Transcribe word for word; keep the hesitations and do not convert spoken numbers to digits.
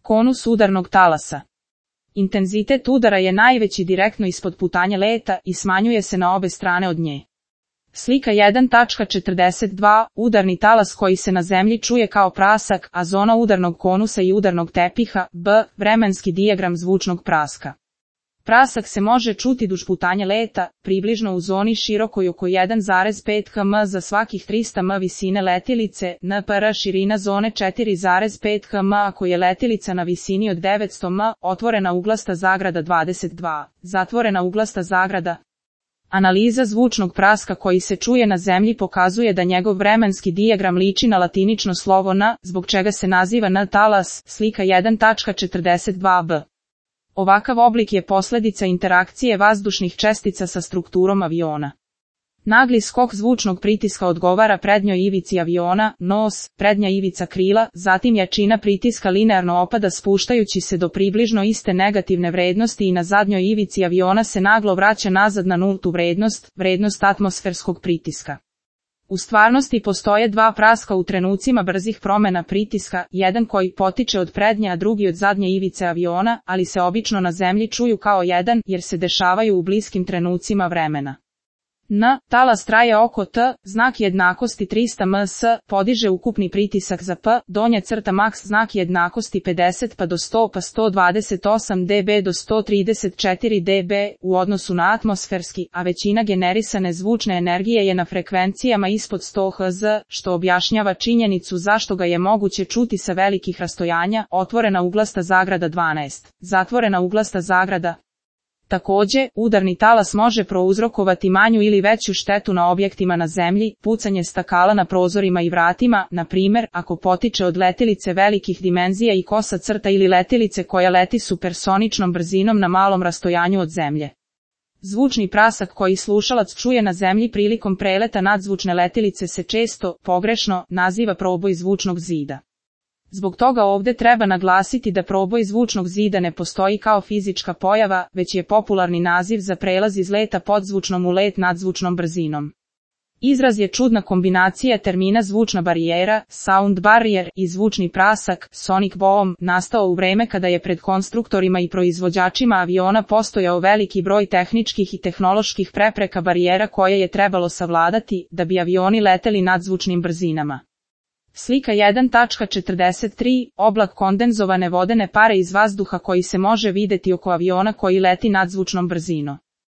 Konus udarnog talasa. Intenzitet udara je najveći direktno ispod putanja leta i smanjuje se na obe strane od nje. Slika jedan tačka četrdeset dva. Udarni talas koji se na zemlji čuje kao prasak, a zona udarnog konusa i udarnog tepiha, b. Vremenski dijagram zvučnog praska. Prasak se može čuti duž putanja leta, približno u zoni širokoj oko jedan zarez pet kilometara za svakih trista metara visine letilice, npr. širina zone četiri zarez pet kilometara ako je letilica na visini od devetsto metara, otvorena uglasta zagrada dvadeset dva, zatvorena uglasta zagrada. Analiza zvučnog praska koji se čuje na zemlji pokazuje da njegov vremenski dijagram liči na latinično slovo N, zbog čega se naziva N talas, slika jedan tačka četrdeset dva b. Ovakav oblik je posljedica interakcije vazdušnih čestica sa strukturom aviona. Nagli skok zvučnog pritiska odgovara prednjoj ivici aviona, nos, prednja ivica krila, zatim jačina pritiska linearno opada spuštajući se do približno iste negativne vrednosti i na zadnjoj ivici aviona se naglo vraća nazad na nultu vrednost, vrednost atmosferskog pritiska. U stvarnosti postoje dva praska u trenucima brzih promjena pritiska, jedan koji potiče od prednje a drugi od zadnje ivice aviona, ali se obično na zemlji čuju kao jedan jer se dešavaju u bliskim trenucima vremena. N. Talas traje oko T, znak jednakosti trista metara s, podiže ukupni pritisak za P, donja crta maks znak jednakosti pedeset pa do sto pa sto dvadeset osam decibela do sto trideset četiri decibela u odnosu na atmosferski, a većina generisane zvučne energije je na frekvencijama ispod sto hertz, što objašnjava činjenicu zašto ga je moguće čuti sa velikih rastojanja, otvorena uglasta zagrada dvanaest, zatvorena uglasta zagrada. Također, udarni talas može prouzrokovati manju ili veću štetu na objektima na zemlji, pucanje stakala na prozorima i vratima, na primjer, ako potiče od letilice velikih dimenzija i kosa crta ili letilice koja leti supersoničnom brzinom na malom rastojanju od zemlje. Zvučni prasak koji slušalac čuje na zemlji prilikom preleta nadzvučne letilice se često, pogrešno, naziva proboj zvučnog zida. Zbog toga ovdje treba naglasiti da proboj zvučnog zida ne postoji kao fizička pojava, već je popularni naziv za prelaz iz leta podzvučnom u let nadzvučnom brzinom. Izraz je čudna kombinacija termina zvučna barijera, sound barrier, i zvučni prasak, sonic boom, nastao u vreme kada je pred konstruktorima i proizvođačima aviona postojao veliki broj tehničkih i tehnoloških prepreka barijera koje je trebalo savladati, da bi avioni leteli nadzvučnim brzinama. Slika jedan tačka četrdeset tri. Oblak kondenzovane vodene pare iz vazduha koji se može vidjeti oko aviona koji leti nadzvučnom brzinom.